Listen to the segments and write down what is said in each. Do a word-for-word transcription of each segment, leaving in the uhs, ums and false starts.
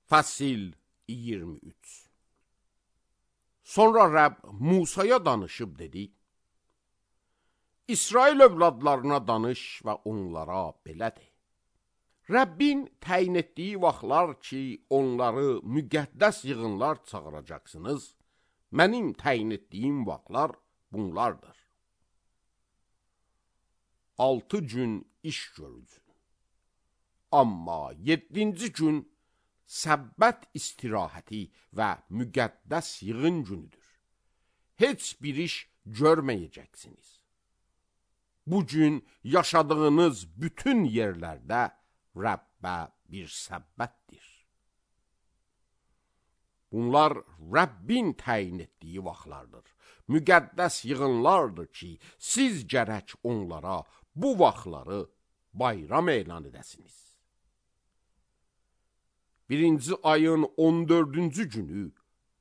Fəsil iyirmi üç. Sonra Rəbb Musaya danışıb dedi: İsrail övladlarına danış və onlara belə de. Rəbbin təyin etdiyi vaxtlar ki, onları müqəddəs yığınlar çağıracaqsınız, mənim təyin etdiyim vaxtlar bunlardır. Altı gün iş görürsün. Amma yeddinci gün səbbət istirahəti və müqəddəs yığın günüdür. Heç bir iş görməyəcəksiniz. Bu gün yaşadığınız bütün yerlərdə Rəbbə bir səbbətdir. Bunlar Rəbbin təyin etdiyi vaxtlardır. Müqəddəs yığınlardır ki, siz gərək onlara bu vaxtları bayram elan edəsiniz. Birinci ayın on dördüncü günü,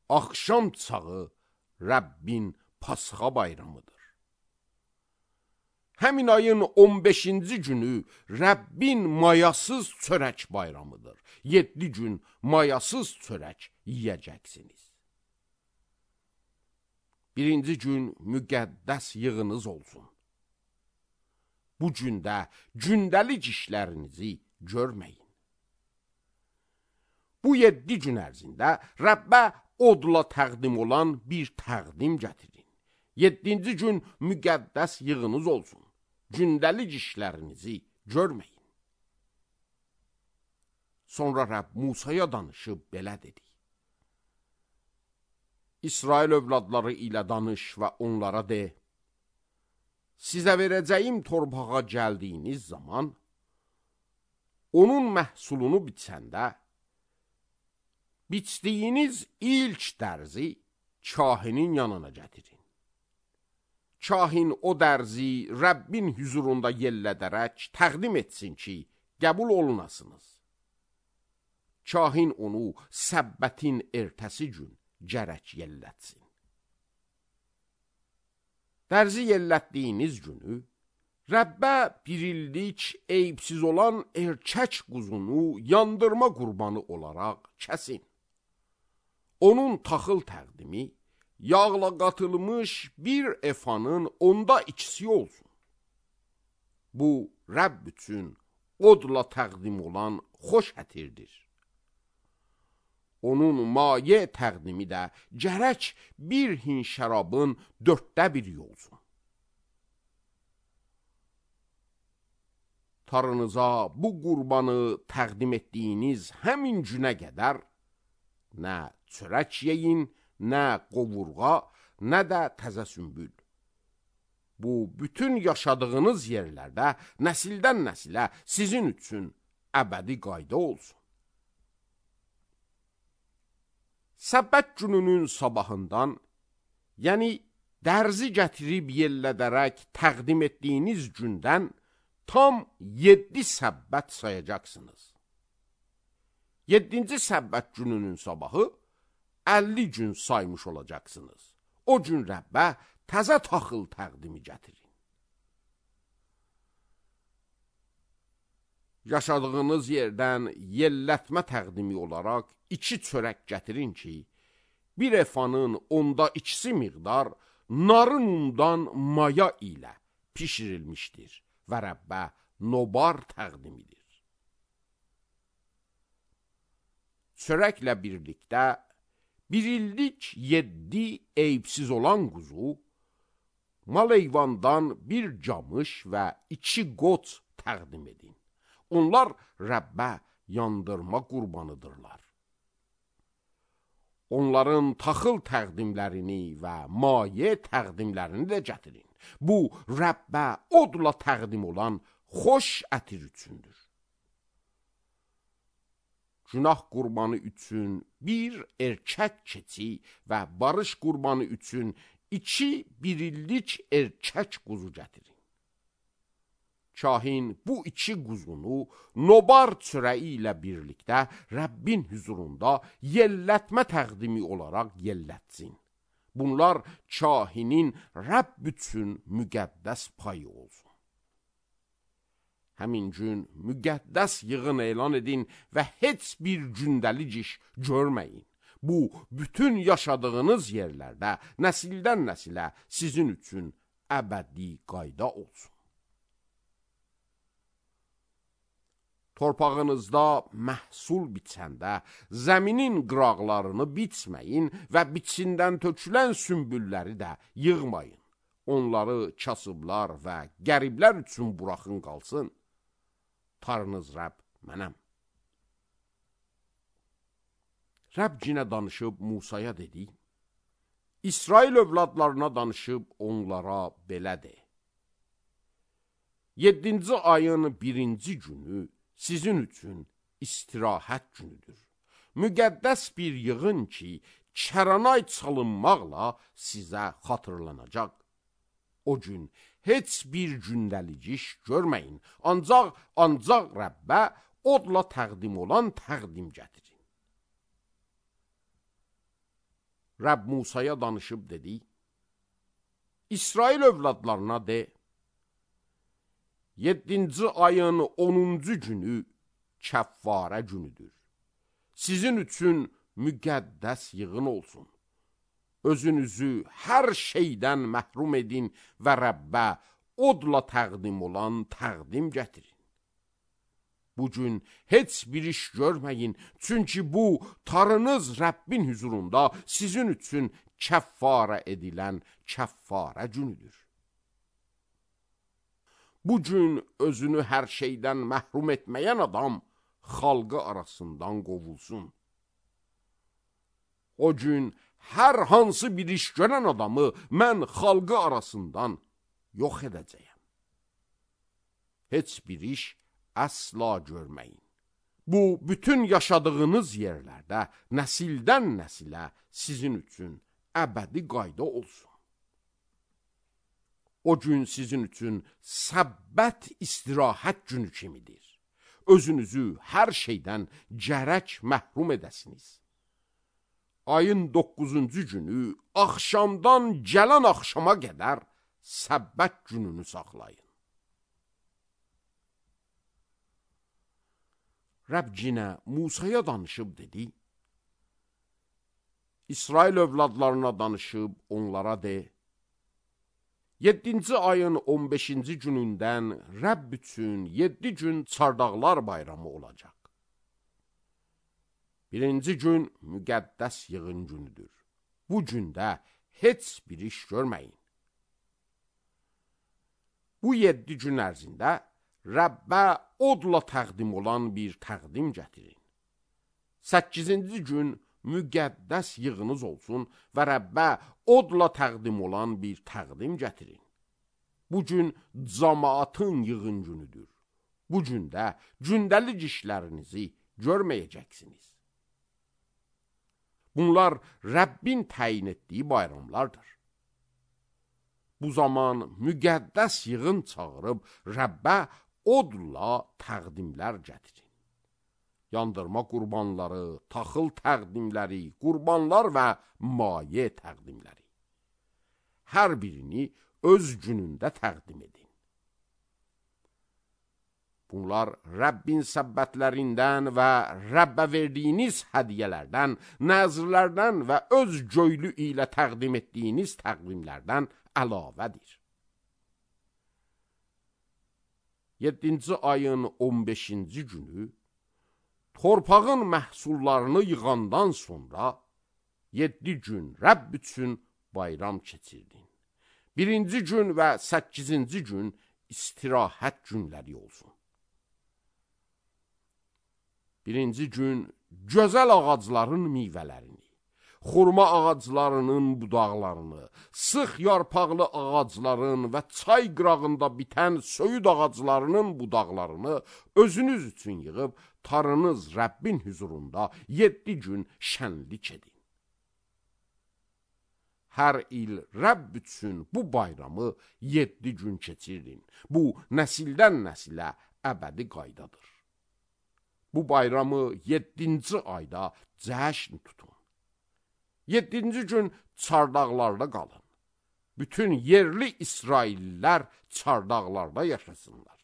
axşam çağı Rəbbin Pasxa bayramıdır. Həmin ayın on beşinci günü Rəbbin mayasız çörək bayramıdır. Yeddi gün mayasız çörək yiyəcəksiniz. Birinci gün müqəddəs yığınız olsun. Bu gündə gündəlik işlərinizi görməyin. Bu yeddi gün ərzində Rəbbə odla təqdim olan bir təqdim gətirin. Yeddinci gün müqəddəs yığınız olsun. Gündəlik işlərinizi görməyin. Sonra Rəbb Musaya danışıb belə dedi: İsrail övladları ilə danış və onlara de: Sizə verəcəyim torpağa gəldiyiniz zaman, onun məhsulunu biçəndə, biçdiyiniz ilk dərzi kahinin yanına gətirin. Kahin o dərzi Rəbbin hüzurunda yellədərək təqdim etsin ki, qəbul olunasınız. Kahin onu səbbətin ertəsi gün gərək yellətsin. Dərzi yellətdiyiniz günü, Rəbbə bir illik eyibsiz olan erkək quzunu yandırma qurbanı olaraq kəsin. Onun taxıl təqdimi, yağla qatılmış bir efanın onda ikisi olsun. Bu, Rəbb üçün odla təqdim olan xoş ətirdir. Onun maye təqdimi də gərək bir hin şərabın dörddə biri olsun. Tarınıza bu qurbanı təqdim etdiyiniz həmin günə qədər nə çörək yeyin, nə qovurğa, nə də təzə sümbül. Bu, bütün yaşadığınız yerlərdə nəsildən nəsilə sizin üçün əbədi qayda olsun. Səbbət gününün sabahından, yəni dərzi gətirib yellədərək təqdim etdiyiniz gündən tam yeddi səbbət sayacaqsınız. Yeddinci səbbət gününün sabahı əlli gün saymış olacaqsınız. O gün Rəbbə təzə taxıl təqdimi gətirin. Yaşadığınız yerdən yellətmə təqdimi olaraq iki çörək gətirin ki, bir efanın onda ikisi miqdar narın undan maya ilə pişirilmişdir və Rəbbə nobar təqdimidir. Çörəklə birlikdə bir illik yeddi eyibsiz olan quzu, mal heyvandan bir camış və iki qoç təqdim edin. Onlar Rəbbə yandırma qurbanıdırlar. Onların taxıl təqdimlərini və maye təqdimlərini də gətirin. Bu, Rəbbə odla təqdim olan xoş ətir üçündür. Günah qurbanı üçün bir erkək keçi və barış qurbanı üçün iki bir illik erkək quzu gətirin. Kahin bu iki quzunu nobar çörəyi ilə birlikdə Rəbbin hüzurunda yellətmə təqdimi olaraq yellətsin. Bunlar kahinin Rəbb üçün müqəddəs payı olsun. həmin gün müqəddəs yığın elan edin və heç bir gündəlik iş görməyin. Bu, bütün yaşadığınız yerlərdə nəsildən nəsilə sizin üçün əbədi qayda olsun. Torpağınızda məhsul biçəndə zəminin qıraqlarını biçməyin və biçindən tökülən sümbülləri də yığmayın. Onları kasıblar və qəriblər üçün buraxın qalsın. Tanrınız Rəbb mənəm. Rəbb yenə danışıb Musaya dedi, İsrail övladlarına danışıb onlara belə de. Yeddinci ayın birinci günü sizin üçün istirahət günüdür. Müqəddəs bir yığın ki, kəranay çalınmaqla sizə xatırlanacaq. O gün heç bir gündəlik iş görməyin, ancaq, ancaq Rəbbə odla təqdim olan təqdim gətirin. Rəbb Musaya danışıb dedi, İsrail övladlarına de, yeddinci ayın onuncu günü kəffarə günüdür. Sizin üçün müqəddəs yığın olsun. Özünüzü hər şeydən məhrum edin və Rəbbə odla təqdim olan təqdim gətirin. Bugün heç bir iş görməyin, çünki bu, Tanrınız Rəbbin hüzurunda sizin üçün kəffarə edilən kəffarə günüdür. Bugün özünü hər şeydən məhrum etməyən adam xalqı arasından qovulsun. O gün hər hansı bir iş görən adamı mən xalqı arasından yox edəcəyəm. Heç bir iş əsla görməyin. Bu, bütün yaşadığınız yerlərdə nəsildən nəsilə sizin üçün əbədi qayda olsun. O gün sizin üçün səbbət istirahət günü kimidir. Özünüzü hər şeydən gərək məhrum edəsiniz. Ayın doqquzuncu günü axşamdan gələn axşama qədər səbbət gününü saxlayın. Rəbb yenə Musaya danışıb dedi, İsrail övladlarına danışıb onlara de, yeddinci ayın on beşinci günündən Rəbb üçün yeddi gün çardaqlar bayramı olacaq. Birinci gün müqəddəs yığın günüdür. Bu gündə heç bir iş görməyin. Bu yeddi gün ərzində Rəbbə odla təqdim olan bir təqdim gətirin. Səkkizinci gün müqəddəs yığınız olsun və Rəbbə odla təqdim olan bir təqdim gətirin. Bu gün cəmaatın yığın günüdür. Bu gündə gündəlik işlərinizi görməyəcəksiniz. Bunlar Rəbbin təyin etdiyi bayramlardır. Bu zaman müqəddəs yığın çağırıb Rəbbə odla təqdimlər gətirin. Yandırma qurbanları, taxıl təqdimləri, qurbanlar və maye təqdimləri. Hər birini öz günündə təqdim edin. Bunlar Rəbbin səbbətlərindən və Rəbbə verdiyiniz hədiyyələrdən, nəzrlərdən və öz göylü ilə təqdim etdiyiniz təqvimlərdən əlavədir. yeddinci ayın on beşinci günü torpağın məhsullarını yığandan sonra yeddi gün Rəbb üçün bayram keçirdin. Birinci gün və səkkizinci gün istirahət günləri olsun. Birinci gün gözəl ağacların meyvələrini, xurma ağaclarının budaqlarını, sıx yarpaqlı ağacların və çay qırağında bitən söyüd ağaclarının budaqlarını özünüz üçün yığıb, Tanrınız Rəbbin hüzurunda yeddi gün şənlik edin. Hər il Rəbb üçün bu bayramı yeddi gün keçirin. Bu, nəsildən nəsilə əbədi qaydadır. Bu bayramı yeddinci ayda cəşn tutun. Yeddinci gün çardaqlarda qalın. Bütün yerli İsraillilər çardaqlarda yaşasınlar.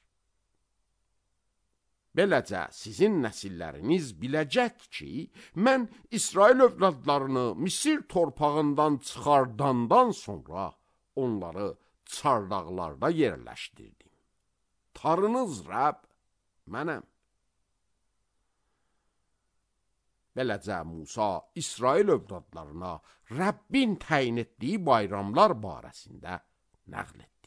Beləcə sizin nəsilləriniz biləcək ki, mən İsrail övladlarını Misir torpağından çıxardandan sonra onları çardaqlarda yerləşdirdim. Tarınız Rəbb mənəm. Beləcə Musa İsrail övladlarına Rəbbin təyin etdiyi bayramlar barəsində nəql etdi.